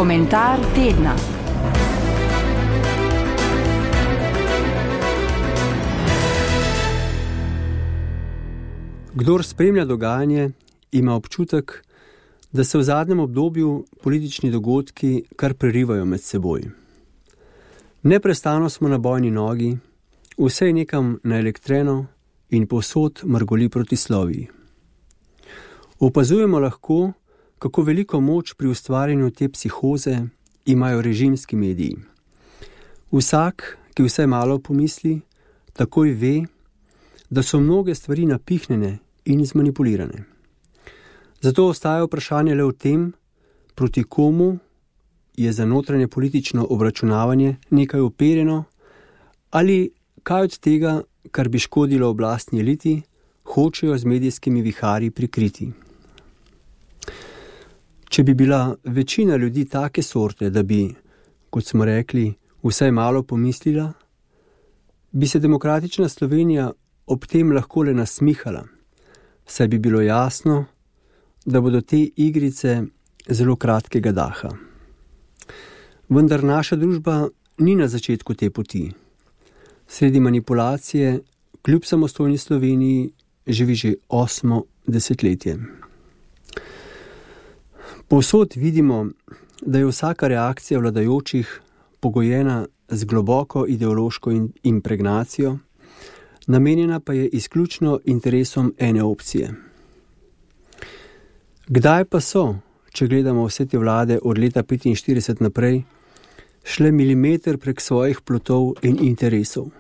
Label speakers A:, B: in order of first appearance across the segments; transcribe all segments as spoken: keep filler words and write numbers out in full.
A: Komentar tedna.
B: Kdor spremlja dogajanje, ima občutek, da se v zadnjem obdobju politični dogodki kar prerivajo med seboj. Neprestano smo na bojni nogi, vse je nekam naelektreno in povsod mrgoli proti Sloveniji. Opazujemo lahko, kako veliko moč pri ustvarjanju te psihoze imajo režimski mediji. Vsak, ki vsaj malo pomisli, takoj ve, da so mnoge stvari napihnjene in zmanipulirane. Zato ostaja vprašanje le v tem, proti komu je za notranje politično obračunavanje nekaj uperjeno ali kaj od tega, kar bi škodilo oblastni eliti, hočejo z medijskimi viharji prikriti. Če bi bila večina ljudi take sorte, da bi, kot smo rekli, vsaj malo pomislila, bi se demokratična Slovenija ob tem lahko le nasmihala, saj bi bilo jasno, da bodo te igrice zelo kratkega daha. Vendar naša družba ni na začetku te poti. Sredi manipulacije, kljub samostojni Sloveniji, živi že osmo desetletje. Povsod vidimo, da je vsaka reakcija vladajočih pogojena z globoko ideološko impregnacijo, namenjena pa je izključno interesom ene opcije. Kdaj pa so, če gledamo vse te vlade od leta petinštirideset naprej, šle milimeter prek svojih plotov in interesov?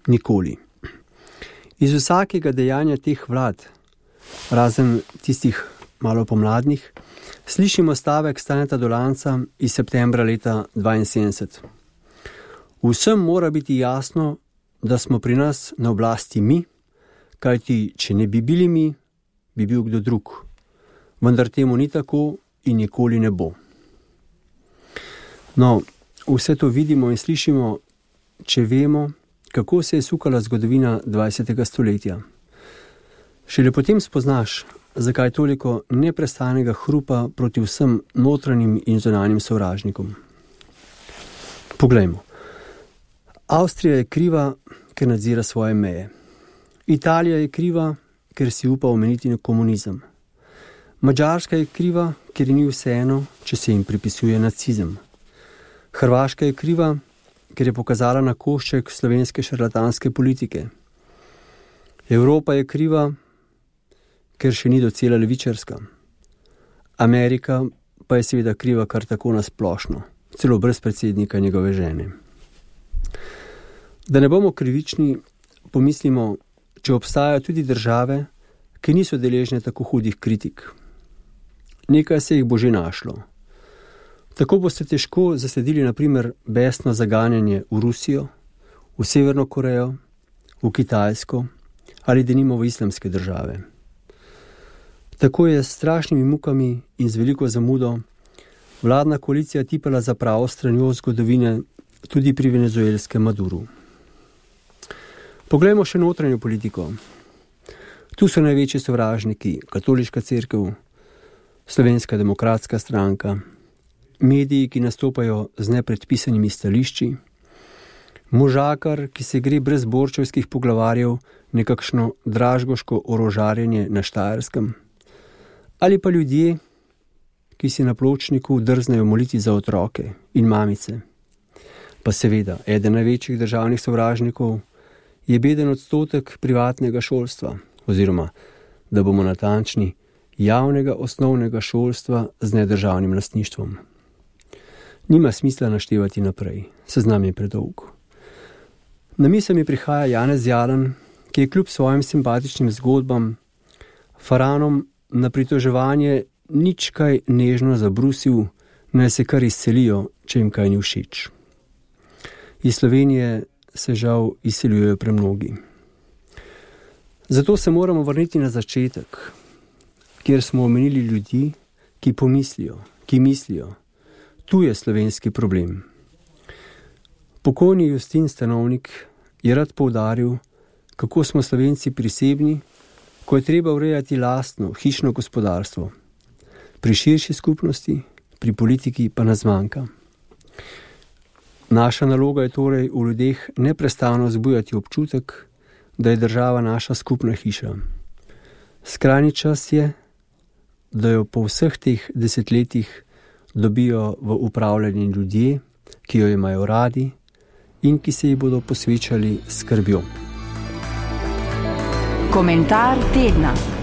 B: Nikoli. Iz vsakega dejanja teh vlad, razen tistih malo pomladnih, slišimo stavek Staneta Dolanca iz septembra leta dvainsedemdeset. Vsem mora biti jasno, da smo pri nas na oblasti mi, kajti če ne bi bili mi, bi bil kdo drug. Vendar temu ni tako in nikoli ne bo. No, vse to vidimo in slišimo, če vemo, kako se je sukala zgodovina dvajsetega stoletja. Šele potem spoznaš, zakaj toliko neprestanega hrupa proti vsem notranjim in zunanjim sovražnikom. Poglejmo. Avstrija je kriva, ker nadzira svoje meje. Italija je kriva, ker si upa omeniti na komunizem. Madžarska je kriva, ker ni vseeno, če se jim pripisuje nacizem. Hrvaška je kriva, ker je pokazala na košček slovenske šarlatanske politike. Evropa je kriva, ker še ni docela levičarska. Amerika pa je seveda kriva kar tako nasplošno, celo brez predsednika njegove žene. Da ne bomo krivični, pomislimo, če obstajajo tudi države, ki niso deležne tako hudih kritik. Nekaj se jih bo že našlo. Tako boste težko zasledili na primer besno zaganjanje v Rusijo, v Severno Korejo, v Kitajsko ali denimo v islamske države. Tako je s strašnimi mukami in z veliko zamudo vladna koalicija tipala za pravo stranjo zgodovine tudi pri venezuelskem Maduru. Poglejmo še notranjo politiko. Tu so največji sovražniki, katoliška cerkev, Slovenska demokratska stranka, mediji, ki nastopajo z nepredpisanimi stališči, možakar, ki se gre brez borčevskih poglavarjev nekakšno dražgoško orožarjenje na Štajerskem, ali pa ljudje, ki si na pločniku drznejo moliti za otroke in mamice. Pa seveda, eden največjih državnih sovražnikov je beden odstotek privatnega šolstva, oziroma, da bomo natančni, javnega osnovnega šolstva z nedržavnim lastništvom. Nima smisla naštevati naprej, seznam je predolg. Na misel mi prihaja Janez Jalan, ki je kljub svojim simpatičnim zgodbam faranom na pritoževanje nič kaj nežno zabrusil, naj se kar izselijo, če jim kaj ni všeč. Iz Slovenije se žal izseljujejo premnogi. Zato se moramo vrniti na začetek, kjer smo omenili ljudi, ki pomislijo, ki mislijo. Tu je slovenski problem. Pokojni Justin Stanovnik je rad poudaril, kako smo Slovenci prisebni, ko je treba urejati lastno, hišno gospodarstvo. Pri širši skupnosti, pri politiki pa nas manjka. Naša naloga je torej v ljudeh neprestano zbujati občutek, da je država naša skupna hiša. Skrajni čas je, da jo po vseh teh desetletjih dobijo v upravljanje ljudje, ki jo imajo radi in ki se ji bodo posvečali skrbjo.
A: Komentar tedna.